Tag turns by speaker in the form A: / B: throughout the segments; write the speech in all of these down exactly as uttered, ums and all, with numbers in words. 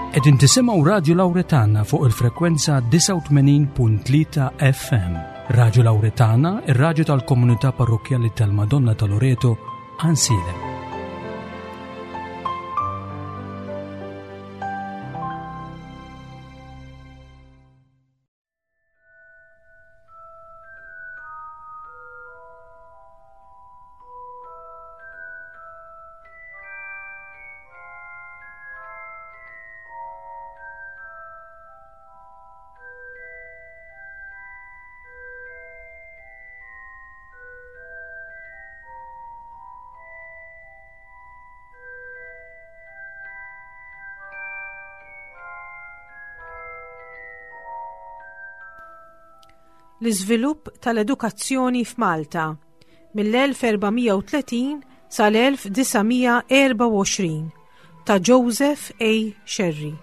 A: Qegħdin tisimgħu Radio Lauretana fuq il-frekwenza disgħa u tmenin punt tlieta F M. Radio Lauretana, ir-radju tal-Komunità Parrokkjali tal-Madonna ta' Loreto, Għajnsielem.
B: L-iżvilupp tal-edukazzjoni f'Malta mill-elf erba' mija u tletin sal-elf disa' mija erbgħa u għoxrin ta' Joseph A. Scerri.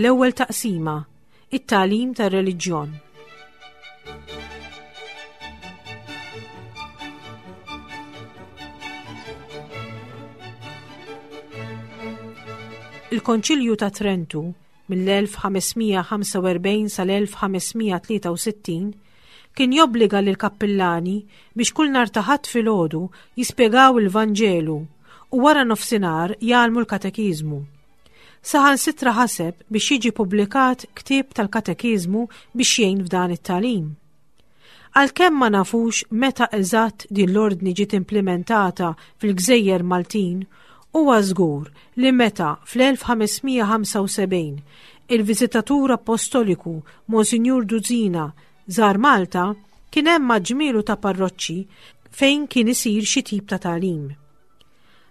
B: L-ewwel taqsima, it-tagħlim tar-reliġjon. Il-Konċilju ta' Trentu mill-elf ħames mija ħamsa u erbgħin sal-elf ħames mija tlieta u sittin kien jobbliga lil kappillani biex kull nhar ta' Ħadd filgħodu jispjegaw il-Vanġelu u wara nofsinhar jgħallmu l-katekiżmu. Saħansitra ħaseb biex jiġi publikat ktieb tal-katekiżmu biex jgħin f'dan it-tagħlim. Għalkemm ma nafux meta eżatt din l-ordni ġiet implementata fil-Gżejjer Maltin, huwa żgur li meta fl-elf ħames mija ħamsa u sebgħin il-viżitatur apostoliku Monsinjur Duzina żar Malta, kien hemm ġmielu ta' parroċċi fejn kien isir xi tip ta' tagħlim.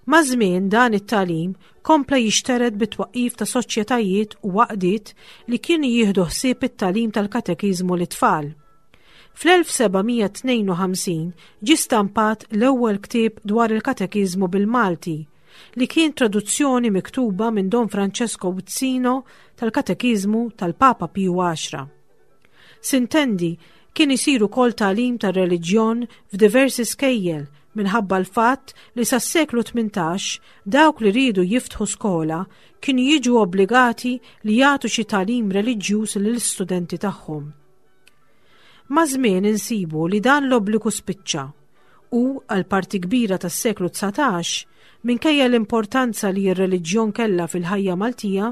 B: Maż-żmien dan it-tagħlim kompla jixtered bit-twaqqif ta' soċjetajiet u għaqdiet li kienu jieħdu ħsieb it-tagħlim tal-katekiżmu lit-tfal. Fl-elf seba' mija tnejn u ħamsin ġie stampat l-ewwel ktieb dwar il-katekiżmu bil-Malti, li kien traduzzjoni miktuba minn Don Francesco Uzzino tal-katekiżmu tal-Papa Piju Għaxra. Sintendi, kien isir ukoll tagħlim tar-reliġjon f'diversi skejjel minħabba l-fatt li sas-seklu tmintax dawk li riedu jiftħu skola kienu jiġu obbligati li jagħtu xi tagħlim reliġjuż lill-istudenti tagħhom. Maż-żmien insibu li dan l-obbligu spiċċa u għal parti kbira tas-seklu dsatax, minkejja l-importanza li r-reliġjon kellha fil-ħajja Maltija,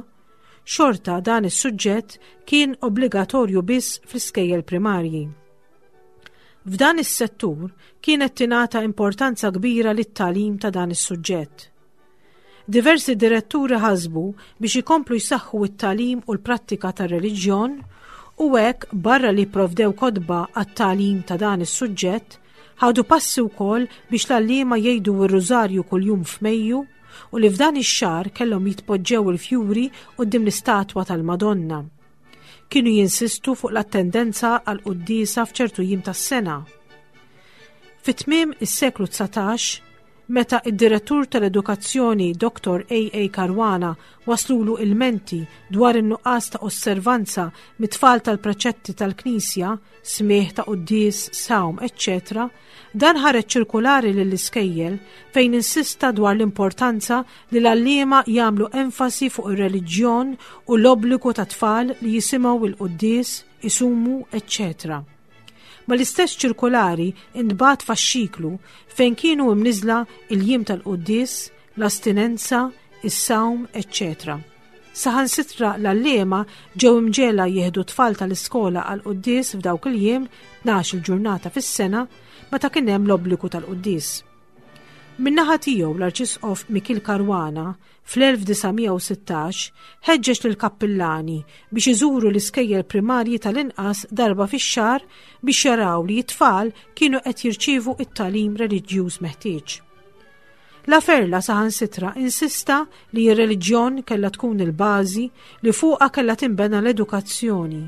B: xorta dan is-suġġett kien obbligatorju biss fl-iskejjel primarji. F'dan is-settur kienet tingħata importanza kbira lit-tagħlim ta' dan is-suġġett. Diversi diretturi ħasbu biex ikomplu jsaħħu it-tagħlim u l-prattika tar-reliġjon u hekk, barra li provdew kotba għat-tagħlim ta' dan is-suġġett, ħadu passi wkoll biex l-għalliema jgħidu r-rużarju kuljum f'Mejju u li f'dan ix-xahar kellhom jitpoġġew il-fjuri quddiem l-istatwa tal-Madonna. Kienu jinsistu fuq l-attendenza għal quddiesa f'ċertu jiem tas-sena. Fit-tmiem is-seklu dsatax, meta id-direttur tal-edukazzjoni Doktor A A. Caruana waslulu ilmenti dwar in-nuqqas ta' osservanza mit-tfal tal-preċetti tal-Knisja, smigħ ta' quddies, sawm, eċċetera, dan ħareġ ċirkulari lill-iskejjel fejn insista dwar l-importanza li l-għalliema jagħmlu enfasi fuq ir-reliġjon u l-obbligu ta' tfal li jisimgħu il-quddies, isumu, eċċetera. Mal-istess ċirkulari intbagħat faxxiklu fejn kienu imniżla il-jiem tal-quddies, l-astinenza, is-sawm, eċċetera. Saħansitra l-għalliema ġew imġiegħla jieħdu tfal tal-iskola għal quddies f'dawk il-jiem, tnax il-ġurnata fis-sena, meta kien hemm l-obbligu tal-quddies. Min-naħa tiegħu, l-Arċisqof Mikiel Caruana fl-elf disa' mija u sittax ħeġġeġ lil kappillani biex iżuru l-iskejjel primarji tal-inqas darba fix-xahar biex jaraw li t-tfal kienu qed jirċievu it-tagħlim reliġjuż meħtieġ. Laferla saħansitra insista li r-reliġjon kellha tkun il-bażi li fuqha kellha tinbena l-edukazzjoni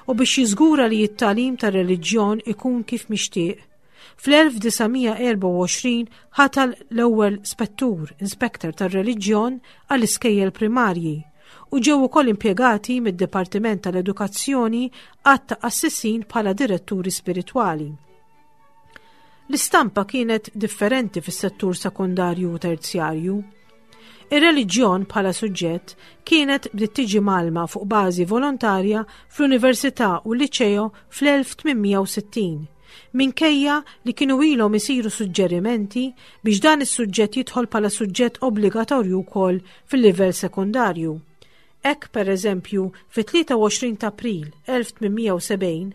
B: u biex jiżgura li t-tagħlim tar-reliġjon ikun kif mixtieq. Fl-elf disa' mija erbgħa u għoxrin ħatar l-ewwel spettur, inspector tar-reliġjon għall-iskejjel primarji u ġew ukoll impjegati mid-Dipartiment tal-Edukazzjoni għadd ta' qassisin bħala diretturi spiritwali. L-istampa kienet differenti fis-settur sekundarju u terzjarju. Ir-reliġjon bħala suġġett kienet bdiet tiġi mgħallma fuq bażi volontarja fl-Università u l-Liċeo fl-elf tmien mija u sittin, minkejja li kienu ilhom isiru suġġerimenti biex dan is-suġġett jidħol bħala suġġett obbligatorju wkoll fil-livell sekundarju. Hekk, per eżempju, fit-tlieta u għoxrin ta' April elf tmien mija u sebgħin,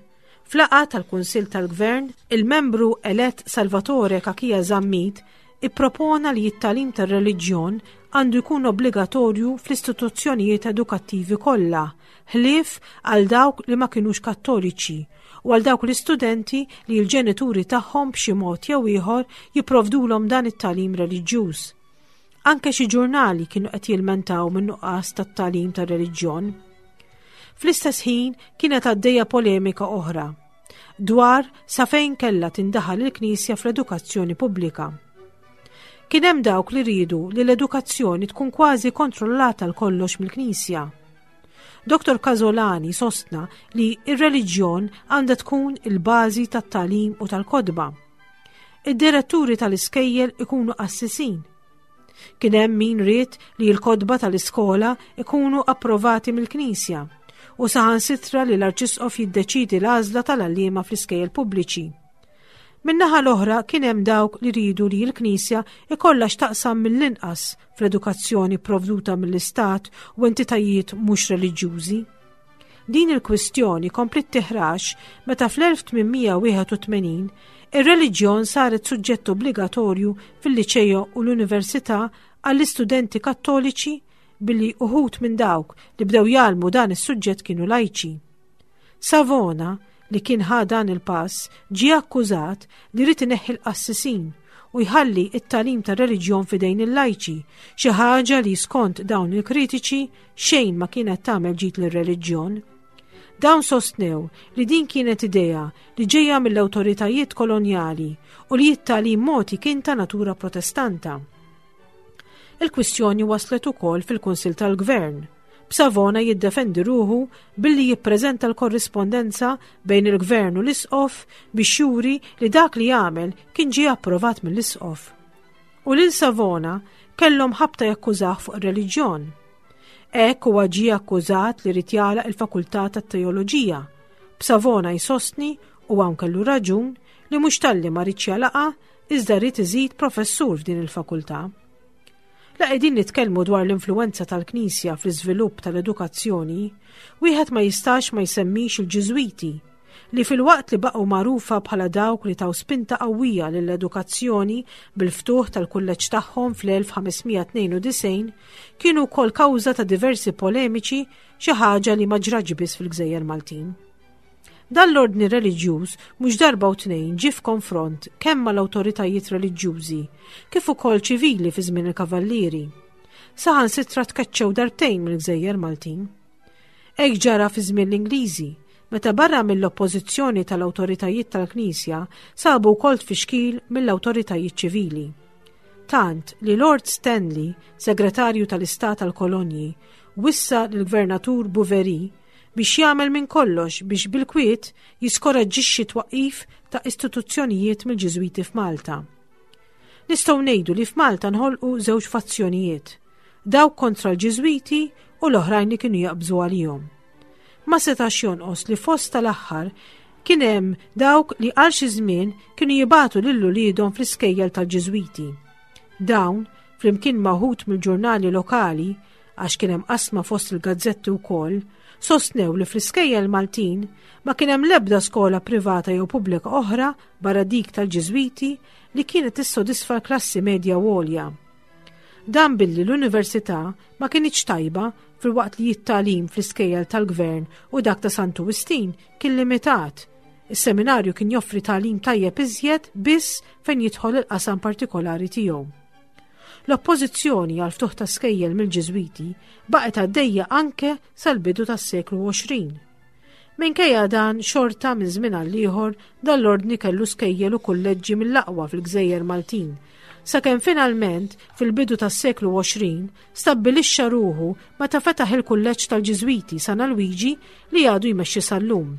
B: f'laqgħa tal-Kunsill tal-Gvern, il-membru elett Salvatore Cachia Zammit ippropona li t-tagħlim tar-reliġjon għandu jkun obbligatorju fl-istituzzjonijiet edukattivi kollha, ħlief għal dawk li ma kinux Kattoliċi u għal dawk l-istudenti li l-ġenituri tagħhom b'xi mod jew ieħor jipprovdulhom dan it-tagħlim reliġjuż. Anke xi ġurnali kienu qed jilmentaw minn nuqqas tat-tagħlim tar-reliġjon. Fl-istess ħin kienet għaddejja polemika oħra dwar sa fejn kellha tindaħal il-Knisja fl-edukazzjoni pubblika. Kien hemm dawk li riedu li l-edukazzjoni tkun kważi kontrollata għal kollox mill-Knisja. Dottor Casolani sostna li ir-reliġjon għandha tkun il-bażi tat-tagħlim u tal-kotba. Id-diretturi tal-iskejjel ikunu qassisin. Kien hemm min ried li l-kotba tal-iskola ikunu approvati mill-Knisja u saħansitra li l-Arċisqof jiddeċidi l-għażla tal-għalliema fl-iskejjel pubbliċi. Min-naħa l-oħra kien hemm dawk li riedu li l-Knisja ikollha x'taqsam mill-inqas fl-edukazzjoni provduta mill-Istat u entitajiet mhux reliġjużi. Din il-kwistjoni komplet tiħrax meta fl-elf tmien mija wieħed u tmenin ir-reliġjon saret suġġett obbligatorju fil-liċejo u l-università għall-istudenti Kattoliċi, billi uħud minn dawk li bdew jgħallmu dan is-suġġett kienu lajċi. Savona, li kien ħa dan il-pass, ġie akkużat li ried ineħħi l-qassisin u jħalli it-tagħlim ta' reliġjon fidejn il-lajċi, xi ħaġa li skont dawn il-kritiċi xejn ma kienet tagħmel ġid lir-reliġjon. Dawn sostnew li din kienet idea li ġejja mill-awtoritajiet kolonjali u li t-tagħlim mogħti kien ta' natura Protestanta. Il-kwistjoni waslet ukoll fil-Kunsil tal-Gvern, b'Savona jiddefendi ruħu billi jippreżenta l-korrispondenza bejn il-Gvern u l-Isqof biex juri li dak li jagħmel kien ġie approvat mill-Isqof. U lil Savona kellhom ħabta jakkużah fuq ir-reliġjon. Hekk huwa ġie akkużat li ried jagħlaq il-Fakultà tat-Teoloġija. B'Savona jsostni, u hawn kellu raġun, li mhux talli ma riedx jagħlaqha, iżda ried iżid professur f'din il-fakultà. La qegħdin nitkellmu dwar l-influenza tal-Knisja fl-iżvilupp tal-edukazzjoni, wieħed ma jistax ma jsemmix il-Ġiżwiti, li filwaqt li baqgħu magħrufa bħala dawk li taw spinta qawwija lill-edukazzjoni bil-ftuħ tal-kulleġġ tagħhom fl-elf ħames mija tnejn u disgħin, kienu wkoll kawża ta' diversi polemiċi, xi ħaġa li ma ġratx biss fil-Gżejjer Maltin. Dan l-ordni reliġjuż mhux darba u tnejn ġie f'konfront kemm mal-awtoritajiet reliġjużi kif ukoll ċivili fi żmien il-Kavallieri. Saħansitra tkeċċew darbtejn mill-Gżejjer Maltin. Hekk ġara fi żmien l-Ingliżi, meta barra mill-oppożizzjoni tal-awtoritajiet tal-Knisja sabu wkoll tfixkil mill-awtoritajiet ċivili. Tant li Lord Stanley, segretarju tal-Istat tal-Kolonji, wissa l-Gvernatur Bouverie biex jagħmel minn kollox biex bil-kwiet jiskoraġġixxi twaqqif ta' istituzzjonijiet mill-Ġiżwiti f'Malta. Nistgħu ngħidu li f'Malta nħolqu żewġ fazzjonijiet, dawk kontra l-Ġiżwiti u l-oħrajn li kienu jaqbżu għalihom. Ma setax jonqos li fost tal-aħħar kien hemm dawk li għal xi żmien kienu jibagħtu lil uliedhom fl-iskejjel tal-Ġiżwiti. Dawn, flimkien ma' wħud mill-ġurnali lokali, għax kien hemm qasma fost il-gazzetti wkoll, sostnew li fl-iskejjel Maltin ma kien hemm l-ebda skola privata jew pubblika oħra barra dik tal-Ġiżwiti li kienet tissodisfa l-klassi medja u għolja. Dan billi l-università ma kinitx tajba, filwaqt li t-tagħlim fl-iskejjel tal-gvern u dak ta' Santu Wistin kien limitat. Is-seminarju kien joffri tagħlim tajjeb iżjed biss fejn jidħol il-qasam partikolari tiegħu. L-oppożizzjoni għal ftuħ ta' skejjel mill-Ġiżwiti baqgħet għaddejja anke sal-bidu tas-seklu għoxrin. Minkejja dan, xorta minn żmien għal ieħor dan l-ordni kellu skejjel u kulleġġi mill-aqwa fil-Gżejjer Maltin, sakemm finalment fil-bidu tas-seklu għoxrin stabbilixxa ruħu meta fetaħ il-kulleġġ tal-Ġiżwiti San Alwiġi li għadu jmexxi sal-lum.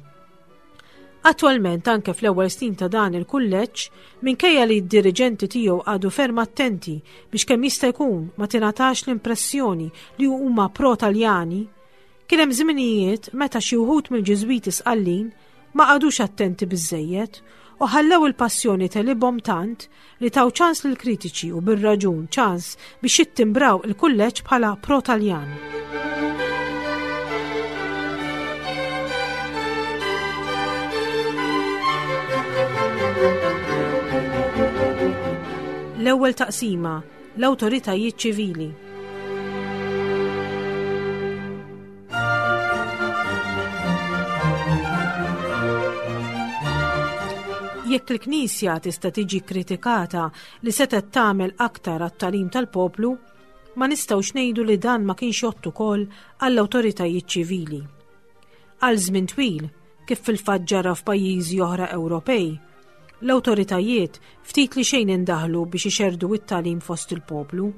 B: Attwalment anke fl-ewwel snin ta' dan il-kulleġġ, minkejja li d-diriġenti tiegħu għadu ferm attenti biex kemm jista' jkun ma tingħatax l-impressjoni li huma pro-Taljani, kien hemm żminijiet meta xi wħud mill-Ġiżwiti Sqallin ma qagħdux attenti biżżejjed u ħallew il-passjoni telibhom tant li taw ċans lill-kritiċi u bir-raġun ċans biex jittimbraw il-kulleġġ bħala pro-Taljan. L-ewwel taqsima, l-awtoritajiet ċivili. Jekk il-Knisja tista' tiġi kritikata li setgħet tagħmel aktar għat-tagħlim tal-poplu, ma nistgħux ngħidu li dan ma kienx jgħodd ukoll għall-awtoritajiet ċivili. Għal żmien twil, kif fil-fatt ġara f'pajjiżi oħra Ewropej, l-awtoritajiet ftit li xejn indaħlu biex ixerdu it-tagħlim fost il-poplu.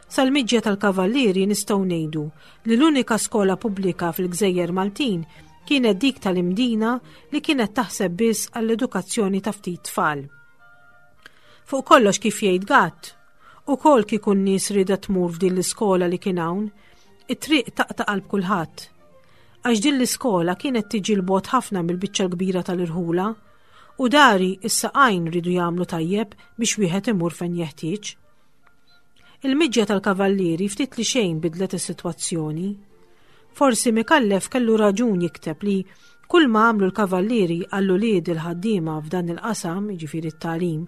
B: Sal-miġja tal-Kavallieri nistgħu ngħidu li l-unika skola pubblika fil-Gżejjer Maltin kienet dik tal-Imdina li kienet taħseb biss għall-edukazzjoni ta' ftit tfal. Fuq kollox kif jgħid Gatt, ukoll kieku n-nies rieda tmur f'din l-iskola li kien hawn, it-triq taqta' qalb kulħadd. Għax din l-iskola kienet tiġi l-bogħod ħafna mill-biċċa l-kbira tal-irħula, u dari is-saqajn ridu jagħmlu tajjeb biex wieħed imur fejn jeħtieġ. Il-miġja tal-Kavallieri ftit li xejn bidlet is-sitwazzjoni. Forsi Micallef kellu raġun jikteb li kull ma għamlu l-Kavallieri għall-ulied il-ħaddiema f'dan il-qasam, jiġifieri t-tagħlim,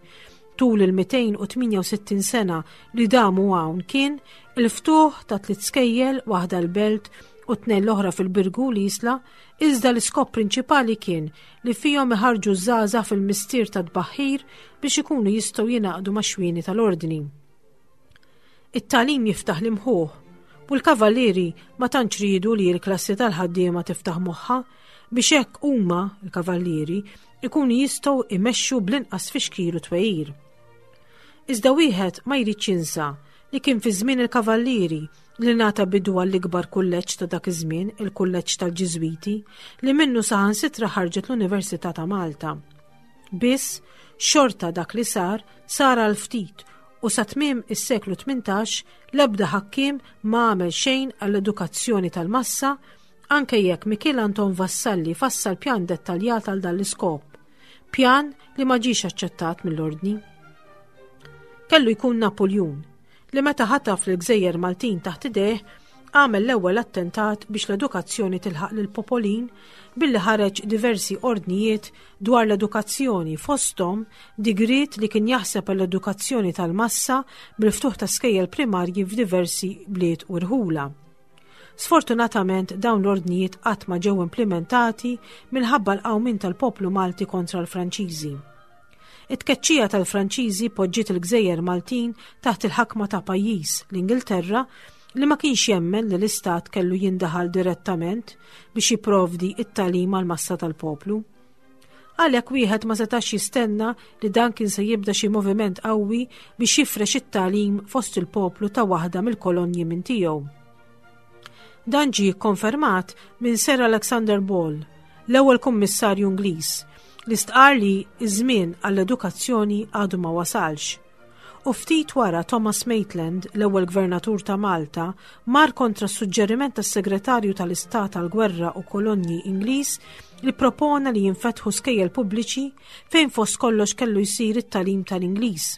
B: tul il-mitejn u tmienja u sittin sena li damu hawn kien il-ftuħ ta' tliet skejjel, waħda l-Belt u tnejn l-oħra fil-Birgu l-Isla, iżda l-iskop prinċipali kien li fihom iħarġu żgħażagħ fil-mistier ta' tbaħħir biex ikunu jistgħu jingħaqdu max-xwieni tal-ordni. It-tagħlim jiftaħ l-imħuħ u l-Kavallieri ma tantx riedu li l-klassi tal-ħaddiema tiftaħ moħħha biex hekk huma, l-Kavallieri, ikunu jistgħu imexxu bl-inqas fixkil u twejjir. Iżda wieħed ma jridx jinsa li kien fi żmien il-Kavallieri li ngħata bidu għall-ikbar kulleġġ ta' dak iż-żmien, il-kulleġġ tal-Ġiżwiti, li minnu saħansitra ħarġet l-Università ta' Malta. Biss, xorta dak li sar, sar għal ftit u sa tmiem is-seklu tmintax l-ebda ħakkiem ma għamel xejn għall-edukazzjoni tal-massa, anke jekk Mikiel Anton Vassalli fassal pjan dettaljat għal dan l-iskop, pjan li ma ġiex aċċettat mill-ordni. Kellu jkun Napoljun li meta ħataf l-Gżejjer Maltin taħt idejh għamel l-ewwel attentat biex l-edukazzjoni tilħaq lill-popolin billi ħareġ diversi ordnijiet dwar l-edukazzjoni, fosthom digriet li kien jaħseb għall-edukazzjoni tal-massa bil-ftuħ ta' skejjel primarji f'diversi bliet u rħula. Sfortunatament dawn l-ordnijiet qatt ma ġew implementati minħabba l-qawmien tal-poplu Malti kontra l-Franċiżi. It-tkeċċija tal-Franċiżi poġġiet il-Gżejjer Maltin taħt il-ħakma ta' pajjiż, l-Ingilterra, li ma kienx jemmen li l-Istat kellu jindaħal direttament biex jipprovdi it-tagħlim għal massa tal-poplu. Għalhekk wieħed ma setax jistenna li dan kien se jibda xi moviment qawwi biex jifrex it-tagħlim fost il-poplu ta' waħda mill-kolonji minn tiegħu. Dan ġie kkonfermat minn Sir Alexander Ball, l-ewwel kummissarju Ingliż, li stqar li iż-żmien għall-edukazzjoni għadu ma wasalx. U ftit wara Thomas Maitland, l-ewwel gvernatur ta' Malta, mar kontra s-suġġeriment tas-Segretarju tal-Istat tal-Gwerra u Kolonji Ingliż li propona li jinfetħu skejjel pubbliċi fejn fost kollox kellu jsir it-tagħlim tal-Ingliż.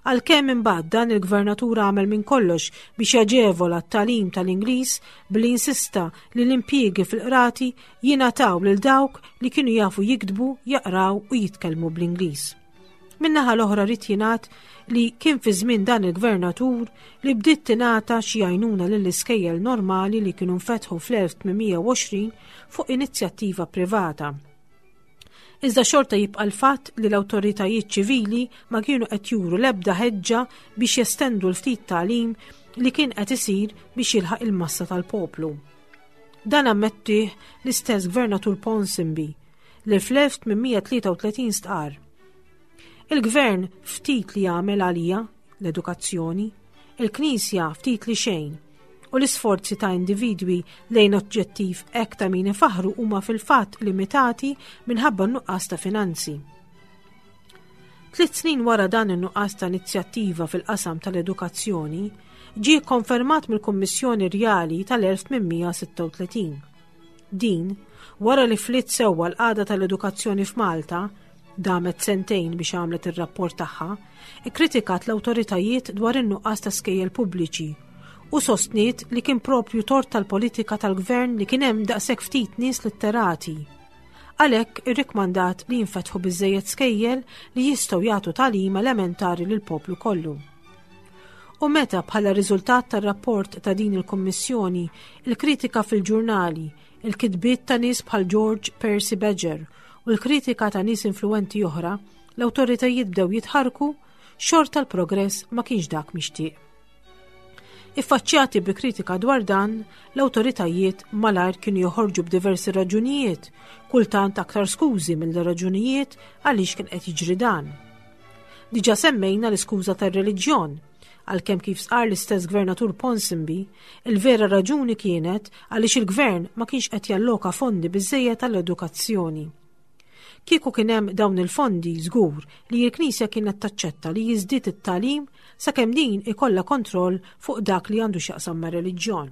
B: Għalkemm imbagħad dan il-gvernatur għamel minn kollox biex jaġevola t-tagħlim tal-Ingliż billi insista li l-impjiegi fil-qrati jingħataw lil dawk li kienu jafu jiktbu, jaqraw u jitkellmu bl-Ingliż. Min-naħa l-oħra rrid jingħad li kien fi żmien dan il-gvernatur li bdiet tingħata xi għajnuna lill-iskejjel normali li kienu nfetħu fl-elf tmien mija u għoxrin fuq inizjattiva privata. Iżda xorta jibqa' l-fatt li l-awtoritajiet ċivili ma kienu qed juru l-ebda ħeġġa biex jestendu l-ftit tagħlim li kien qed isir biex jilħaq il-massa tal-poplu. Dan ammettih l-istess gvernatur Ponsonby li fl-elf tmien mija tlieta u tletin stqar: "Il-gvern ftit li jagħmel għalija l-edukazzjoni, il-Knisja ftit li xejn, u l-isforzi ta' individwi lejn oġġettiv hekk ta' min ifaħru huma fil-fatt limitati minħabba nuqqas ta' finanzi." Tliet snin wara, dan in-nuqqas ta' inizjattiva fil-qasam tal-edukazzjoni ġie konfermat mill-Kummissjoni Rjali tal-elf tmien mija sitta u tletin. Din, wara li fliet sewwa l-qagħda tal-edukazzjoni f'Malta, damet sentejn biex għamlet ir-rapport tagħha, ikkritikat l-awtoritajiet dwar in-nuqqas ta' skejjel pubbliċi u sostniet li kien propju tort tal-politika tal-gvern li kien hemm daqshekk ftit nies litterati. Għalhekk irrikmandat li jinfetħu biżejjed skejjel li jistgħu jagħtu tagħlim elementari lil poplu kollu. U meta bħala riżultat tar-rapport ta' din il-Kommissjoni, il-kritika fil-ġurnali, il-kitbiet ta' nies bħal George Percy Badger u l-kritika ta' nies influenti oħra, l-awtoritajiet bdew jitħarku, xorta l-progress ma kienx dak mixtieq. Iffaċċjati bi kritika dwar dan, l-awtoritajiet malajr kienu joħorġu b'diversi raġunijiet, kultant aktar skużi mill-raġunijiet għaliex kien qed jiġri dan. Diġa semmejna l-iskuża tar-reliġjon, għalkemm kif sqar l-istess gvernatur Ponsonby, il-vera raġuni kienet għaliex il-gvern ma kienx qed jalloka fondi biżejjed tal-edukazzjoni. Kieku kien hemm dawn il-fondi, żgur li l-Knisja kienet taċċetta li jiżdied it-tagħlim sakemm din ikollha kontroll fuq dak li għandu x'jaqsam ma' reliġjon.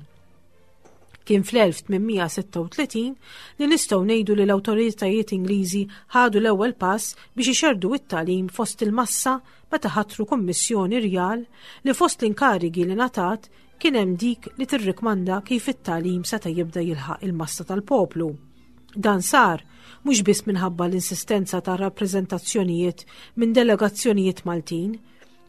B: Kien fl-elf tmien mija sitta u tletin li nistgħu ngħidu li l-awtoritajiet Ingliżi ħadu l-ewwel pass biex ixerdu it-tagħlim fost il-massa meta ħatru Kummissjoni Rjal li fost l-inkarigi li ngħatat kien hemm dik li tirrikmanda kif it-tagħlim seta' jibda jilħaq il-massa tal-poplu. Dan sar mhux biss minħabba l-insistenza ta' rappreżentazzjonijiet minn delegazzjonijiet Maltin,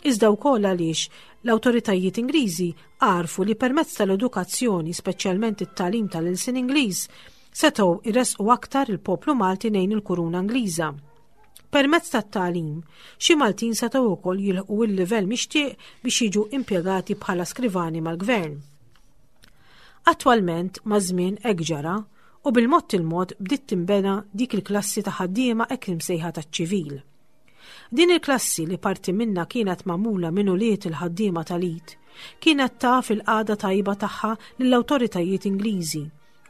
B: iżda wkoll għaliex l-awtoritajiet Ingliżi għarfu li permezz tal-edukazzjoni, speċjalment it-tagħlim tal-ilsien Ingliż, setgħu jresqu aktar il-poplu Malti lejn il-kuruna Ingliża. Permezz tat-tagħlim, xi Maltin setgħu wkoll jilħqu il-livell mixtieq biex jiġu impjegati bħala skrivani mal-gvern. Attwalment, maż-żmien hekk ġara u bil-mod il-mod bdiet tinbena dik il-klassi ta' ħaddiema hekk imsejħa taċ-ċivil. Din il-klassi, li parti minna kienet magħmula minn ulied il-ħaddiema tal-id, kienet taf il-qagħda tajba tagħha lill-awtoritajiet Ingliżi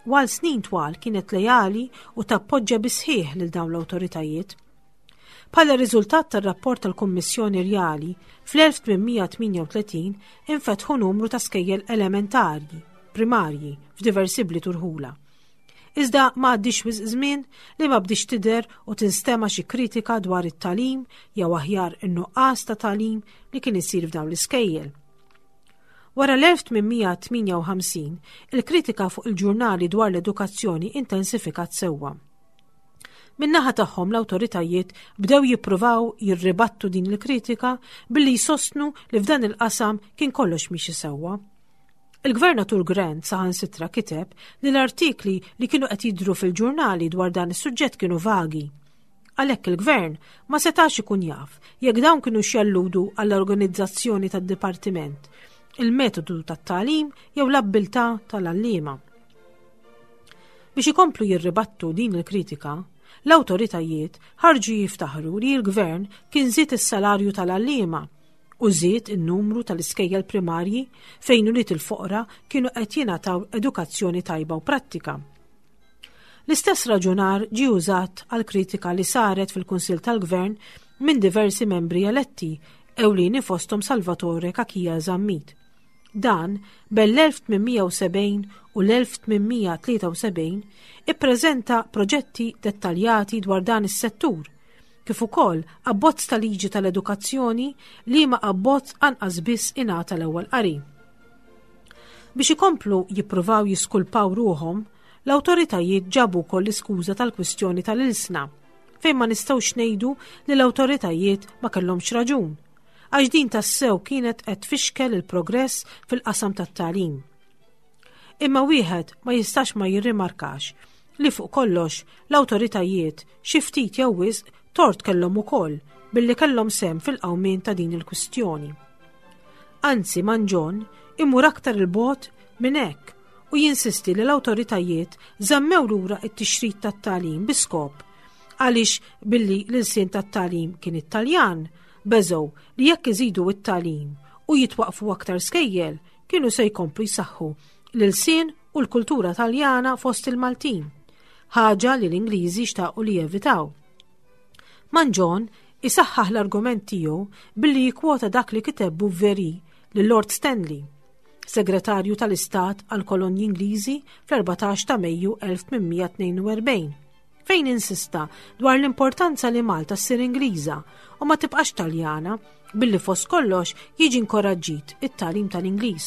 B: u għal snin twal kienet lejali u tappoġġa bis-sħiħ lil dawn l-awtoritajiet. Bħala riżultat tar-rapport tal-Kummissjoni Rjali, fl-elf tmien mija tmienja u tletin infetħu numru ta' skejjel elementari, primarji, f'diversi bliet u rħula. Iżda ma għaddix wisq żmien li ma bdix tidher u tinstema xi kritika dwar it-tagħlim, jew aħjar in-nuqqas ta' tagħlim li kien isir f'dawn l-iskejjel. Wara l-elf tmien mija tmienja u ħamsin, il-kritika fuq il-ġurnali dwar l-edukazzjoni intensifikat sewwa. Min-naħa tagħhom, l-awtoritajiet bdew jippruvaw jirribattu din il-kritika billi jsostnu li f'dan il-qasam kien kollox miexi sewwa. Il-gvernatur Grant saħansitra kiteb li l-artikli li kienu qed jidru fil-ġurnali dwar dan is-suġġett kienu vagi. Għalhekk il-gvern ma setax ikun jaf jekk dawn kienu jalludu għall-organizzazzjoni tad-dipartiment, il-metodu tat-tagħlim jew l-abbiltà tal-għalliema. Biex ikomplu jirribattu din il-kritika, l-awtoritajiet ħarġu jiftaħru li l-gvern kien żied is-salarju tal-għalliema u żied in-numru tal-iskejjel primarji fejn ulied il-foqra kienu qed jingħataw edukazzjoni tajba u prattika. L-istess raġunar ġi użat għal kritika li saret fil-Kunsill tal-Gvern minn diversi membri eletti, ewlieni fostom Salvatore Cachia Zammit. Dan bejn l-elf tmien mija u sebgħin u l-elf tmien mija tlieta u sebgħin ippreżenta proġetti dettaljati dwar dan is-settur, kif ukoll abbozz ta' liġi tal-edukazzjoni, li ma abbozz anqas biss ingħata l-ewwel qari. Biex ikomplu jippruvaw jiskulpaw ruhom, l-awtoritajiet ġabu wkoll l-iskuża tal-kwistjoni tal-ilsna, fejn ma nistgħux ngħidu li l-awtoritajiet ma kellhomx raġun, għax din tassew kienet qed tfixkel il-progress fil-qasam tat-tagħlim. Imma wieħed ma jistax ma jirrimarkax Li fuq kollox l-awtoritajiet xi ftit jew wisq tort kellhom ukoll billi kellhom sehem fil-qawmien ta' din il-kwistjoni. Anzi, Mangion imur aktar 'il bogħod minn hekk u jinsisti li l-awtoritajiet żammew lura it-tixrid tat-tagħlim bi skop għaliex billi l-ilsien tat-tagħlim kien it-Taljan, beżgħu li jekk iżidu it-tagħlim u jitwaqfu aktar skejjel kienu se jkomplu jsaħħu l-ilsien u l-kultura Taljana fost il-Maltin, ħaġa li l-Ingliżi xtaqu li jevitaw. Mangion isaħħaħ l-argument tiegħu billi jikkwota dak li kiteb Bouverie lil Lord Stanley, segretarju tal-Istat għal kolonji Ingliżi fl-erbatax ta' Mejju elf tmien mija tnejn u erbgħin, fejn insista dwar l-importanza li Malta ssir Ingliża u ma tibqax Taljana billi fost kollox jiġi inkoraġġit it-tagħlim tal-Ingliż.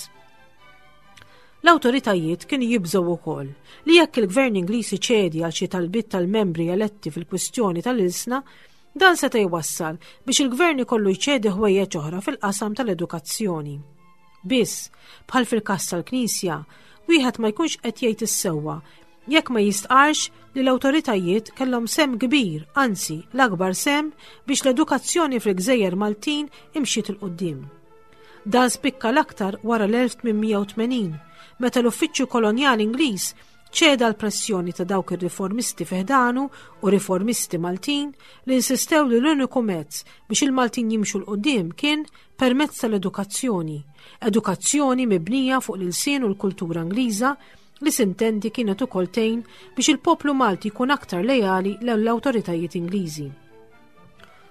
B: L-awtoritajiet kienu jibżgħu wkoll li jekk il-gvern Ingliż iċedi għal xi talbiet tal-membri eletti fil-kwistjoni tal-ilsna, dan seta' jwassal biex il-gvern ikollu jċedi ħwejjeġ oħra fil-qasam tal-edukazzjoni. Biss, bħal fil-każ tal-Knisja, wieħed ma jkunx qed jgħid is-sewwa jekk ma jistqarx li l-awtoritajiet kellhom sehem kbir, anzi l-akbar sehem biex l-edukazzjoni fil-Gżejjer Maltin imxiet 'il quddiem. Dan spikka l-aktar wara l-elf tmien mija u tmenin, meta l-Uffiċċju Kolonjali Ingliż ċeda l-pressjoni ta' dawk ir-riformisti fi ħdanu u riformisti Maltin li insistew li l-uniku mezz biex il-Maltin jimxu 'l quddiem kien permezz tal-edukazzjoni, edukazzjoni mibnija fuq l-ilsien u l-kultura Ingliża li sintendi kienet ukoll tgħin biex il-poplu Malti jkun aktar lejali l-awtoritajiet Ingliżi.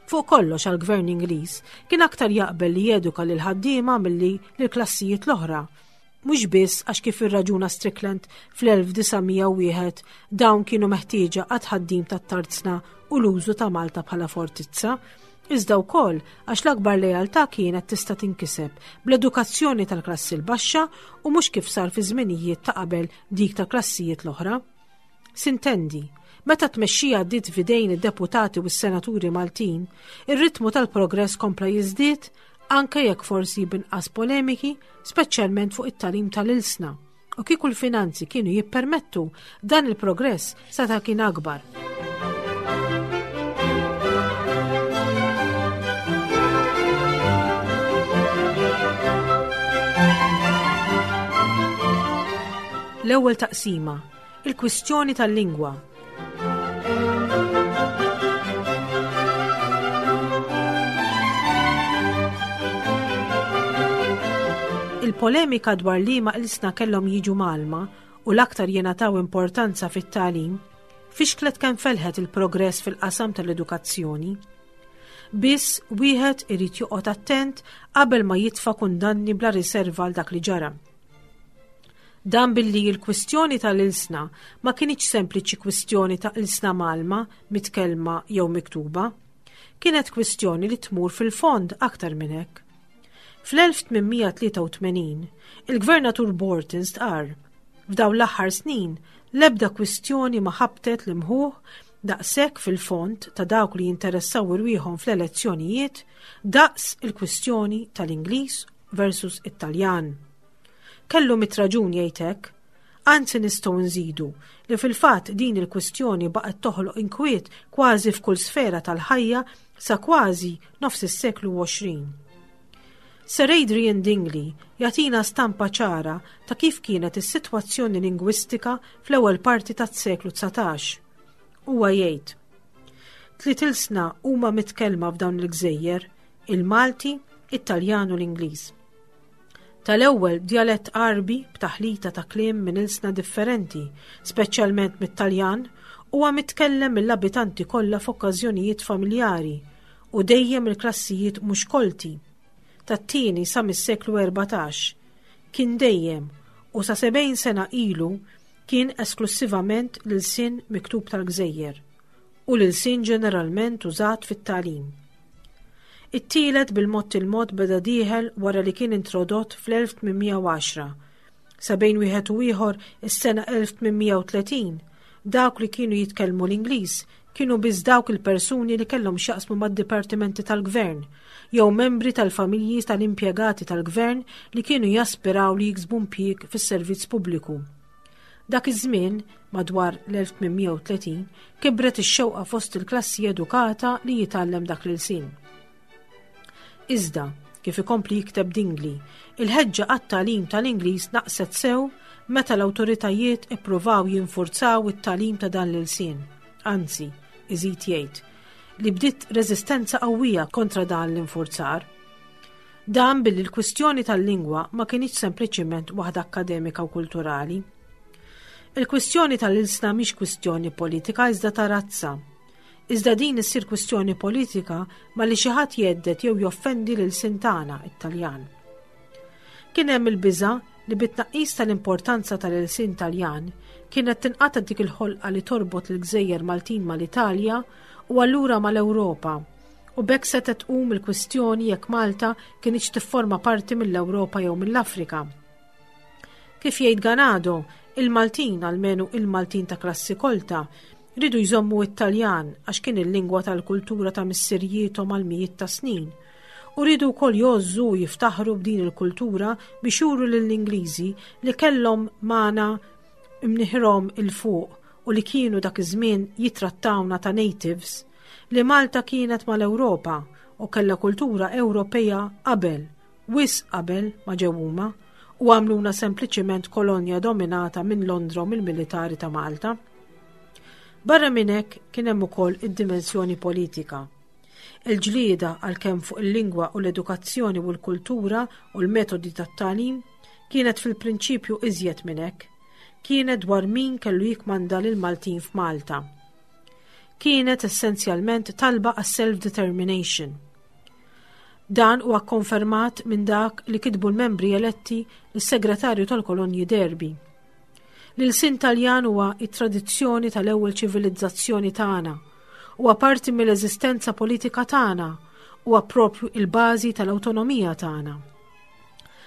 B: Fuq kollox għal-gvern Ingliż kien aktar jaqbel li jeduka lil ħaddiema milli lill-klassijiet l-oħra. Mhux biss għax kif irraġuna Strickland fl-elf disa' mija u wieħed dawn kienu meħtieġa għat-tħaddim tat-tarzna u l-użu ta' Malta bħala fortizza, iżda wkoll għax l-akbar lealtà kienet tista' tinkiseb bl-edukazzjoni tal-klassi l-baxxa u mhux kif sar fi żminijiet ta' qabel dik tal-klassijiet l-oħra. Sintendi, meta tmexxija għaddiet f'idejn id-deputati u s-senaturi Maltin, ir-ritmu tal-progress kompla jiżdied anke jekk forsi b'inqas polemiki, speċjalment fuq it-tagħlim tal-ilsna. U kieku l-finanzi kienu jippermettu, dan il-progress seta' kien akbar. L-ewwel taqsima, il-kwistjoni tal-lingwa. Il-polemika dwar liema ilsna kellhom jiġu mgħallma u l-aktar jingħataw importanza fit-tagħlim fixklet kemm felħet il-progress fil-qasam tal-edukazzjoni. Biss wieħed irid joqgħod attent qabel ma jitfa' kundanni bla riserva għal dak li ġara. Dan billi l-kwistjoni tal-ilsna ma kinitx sempliċi kwistjoni ta' ilsna mgħallma, mitkellma jew miktuba. Kienet kwistjoni li tmur fil-fond aktar minn hekk. Fl-elf tmien mija tlieta u tmenin, il-Gvernatur Borton stqarr, f'dawn l-aħħar snin, l-ebda kwistjoni ma ħabtet l-imħuħ daqshekk fil-fond ta' dawk li jinteressaw irwieħhom fl-elezzjonijiet daqs il-kwistjoni tal-Ingliż versus it-Taljan. Kellu mitt raġun jgħid hekk, anzi nistgħu nżidu li fil-fatt din il-kwistjoni baqgħet toħloq inkwiet kważi f'kull sfera tal-ħajja sa kważi nofs is-seklu għoxrin. Sir Adrian Dingley jagħtina stampa ċara ta' kif kienet is-sitwazzjoni lingwistika fl-ewwel parti tas-seklu dsatax. Huwa jgħid: Tliet ilsna huma mitkellma f'dawn il-gżejjer, il-Malti, it-Taljan u l-Ingliż. Tal-ewwel djalett Għarbi b'taħlita ta' kliem minn ilsna differenti, speċjalment mit-Taljan, huwa mitkellem mill-abitanti kollha f'okkażjonijiet familjari u dejjem il-klassijiet mhux kolti. Tat-tieni sa mis-seklu erbatax kien dejjem u sa sebgħin sena ilu kien esklusivament l-ilsien miktub tal-gżejjer u l-ilsien ġeneralment użat fit-tagħlim. It-tielet bil-mod il-mod beda dieħel wara li kien introdott fl-elf tmien mija u għaxra. Sa bejn wieħed u ieħor is-sena elf tmien mija u tletin, dawk li kienu jitkellmu l-Ingliż kienu biss dawk il-persuni li kellhom x'jaqsmu mad-dipartimenti tal-gvern jew membri tal-familji tal-impjegati tal-gvern li kienu jaspiraw li jiksbu impjieg fis-servizz pubbliku. Dak iż-żmien, madwar l-elf tmien mija u tletin, kibret ix-xewqa fost il-klassi edukata li jitgħallem dak l-ilsien. Iżda, kif ikompli jikteb Dingli, il-ħeġġa għat-tagħlim tal-Ingliż naqset sew meta l-awtoritajiet ippruvaw jinfurzaw it-tagħlim ta' dan l-ilsien. Anzi, iżid jgħid, li bdiet reżistenza qawwija kontra dan l-infurzar. Dan billi l-kwistjoni tal-lingwa ma kinitx sempliċiment waħda akademika u kulturali. Il-kwistjoni tal-ilsna mhix kwistjoni politika, iżda ta' razza. Iżda din issir kwistjoni politika malli xi ħadd jhedded jew joffendi l-ilsien tagħna, it-Taljan. Kien hemm il-biża li bit-tnaqqis tal-importanza tal-ilsien Taljan kienet tinqata' dik il-ħolqa li torbot il-gżejjer Maltin mal-Italja u allura mal-Ewropa, u b'hekk se tqum il-kwistjoni jekk Malta kinitx tifforma parti mill-Ewropa jew mill-Afrika. Kif jgħid Ganado, il-Maltin, almenu il-Maltin ta' klassi kolta, riedu jżommu it-Taljan għax kien il-lingwa tal-kultura ta' missirijiethom għal mijiet ta' snin. U riedu wkoll jgħożżu u jiftaħru b'din il-kultura biex juru lill-Ingliżi li kellhom magħna imniħirhom 'il fuq u li kienu dak iż-żmien jitrattawna ta' natives, li Malta kienet mal-Ewropa u kellha kultura Ewropea qabel, wisq qabel ma ġew huma u għamluna sempliċiment kolonja dominata minn Londra u mill-militari ta' Malta. Barra minn hekk kien hemm ukoll id-dimensjoni politika. Il-ġlieda, għalkemm fuq il-lingwa u l-edukazzjoni u l-kultura u l-metodi tat-tagħlim, kienet fil-prinċipju iżjed minn hekk. Kienet dwar min kellu jikmanda lil Maltin f'Malta. Kienet essenzjalment talba għas self-determination. Dan huwa konfermat minn dak li kitbu l-membri eletti lis-segretarju tal-kolonji Derby. L-ilsien Taljan huwa it-tradizzjoni tal-ewwel ċivilizzazzjoni tagħna, huwa parti mill-eżistenza politika tagħna, huwa propju il-bażi tal-awtonomija tagħna.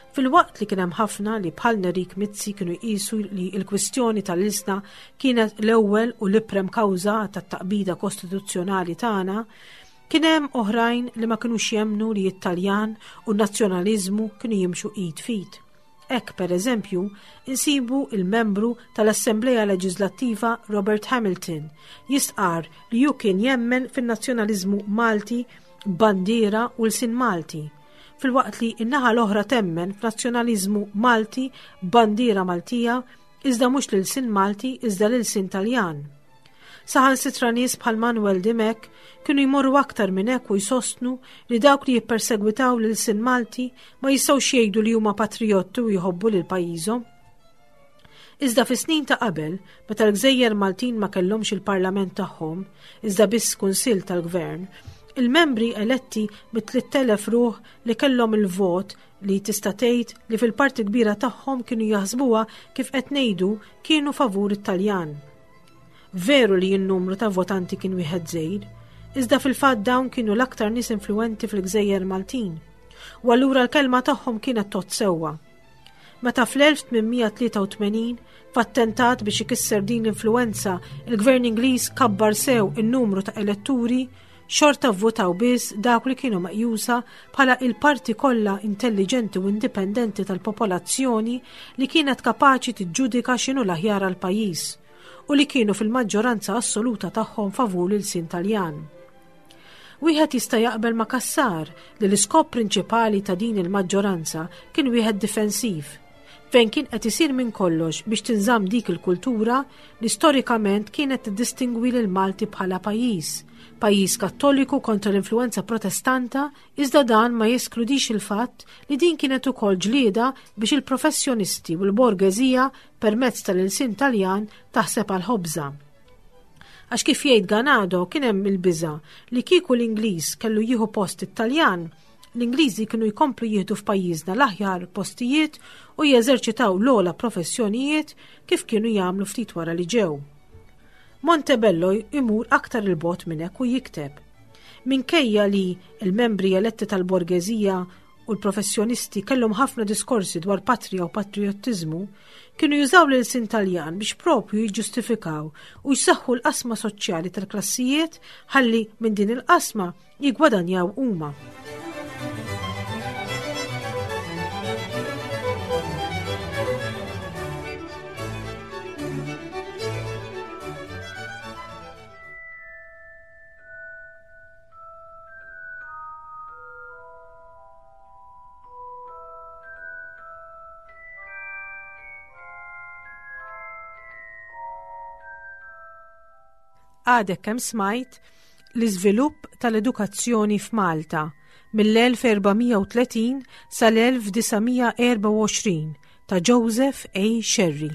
B: Filwaqt li kien hemm ħafna li bħal Nerik Mizzi kienu jqisu li l-kwistjoni tal-ilsna kienet l-ewwel u l-iprem kawża tat-taqbida kostituzzjonali tagħna, kien hemm oħrajn li ma kinux jemmnu li it-Taljan u n-nazzjonaliżmu kienu jimxu id f'id. Hekk, per eżempju, insibu il-membru tal-Assembleja Leġislattiva Robert Hamilton jistqar li hu kien jemmen fin-nazzjonaliżmu Malti, bandiera u lsien Malti, filwaqt li in-naħa l-oħra temmen f'nazzjonaliżmu Malti, bandiera Maltija, iżda mhux l-ilsien Malti, iżda l-ilsien Taljan. Saħansitra nies bħal Manuel Dimech kienu jmorru aktar minn hekk u jsostnu li dawk li jippersegwitaw l-ilsien Malti ma jistgħux jgħidu li huma patrijotti u jħobbu lil pajjiżhom. Iżda fi snin ta' qabel, meta l-gżejjer Maltin ma kellhomx il-parlament tagħhom, iżda biss kunsill tal-gvern, il-membri eletti mit-tliet elef ruħ li kellhom il-vot, li tista' tgħid li fil-parti kbira tagħhom kienu jaħsbuha kif qed ngħidu, kienu favur it-Taljan. Veru li n-numru ta' votanti kien wieħed żgħir, iżda fil-fatt dawn kienu l-aktar nies influenti fil-gżejjer Maltin. U allura l-kelma tagħhom kienet tgħodd sewwa. Meta fl-elf tmien mija tlieta u tmenin, f'attentat biex ikisser din l-influenza, il-gvern Ingliż kabbar sew in-numru ta' eletturi, xorta votaw biss dawk li kienu meqjusa bħala il-parti kollha intelligenti u indipendenti tal-popolazzjoni li kienet kapaċi tiġġudika x'inhu l-aħjar għal pajjiż u li kienu fil-maġġoranza assoluta tagħhom favur l-ilsien Taljan. Wieħed jista' jaqbel ma' Cassar li l-iskop prinċipali ta' din il-maġġoranza kien wieħed difensiv, fejn kien qed isir minn kollox biex tinżamm dik il-kultura li storikament kienet tiddistingwi lil Malti bħala pajjiż, pajjiż Kattoliku kontra l-influenza Protestanta, iżda dan ma jeskludix il-fatt li din kienet ukoll ġlieda biex il-professjonisti u l-borgeżija permezz tal-ilsien Taljan taħseb għal ħobża. Għax, kif jgħid Ganado, kien hemm il-biża li kieku l-Ingliż kellu jieħu post it-Taljan, l-Ingliżi kienu jkomplu jieħdu f'pajjiżna l-aħjar postijiet u jeżerċitaw l-ogħla professjonijiet, kif kienu jagħmlu ftit wara li ġew. Montebello imur aktar 'il bogħod minn hekk u jikteb: Minkejja li il-membri eletti tal-borgeżija u l-professjonisti kellhom ħafna diskorsi dwar patrija u patriottiżmu, kienu jużaw l-ilsien Taljan biex propju jiġġustifikaw u jsaħħu l-qasma soċjali tal-klassijiet ħalli minn din il-qasma jigwadanjaw huma. Għadek kemm smajt l-iżvilupp tal-edukazzjoni f'Malta mill-elf erba' mija u tletin sal-elf disa' mija erbgħa u għoxrin ta' Joseph A. Scerri.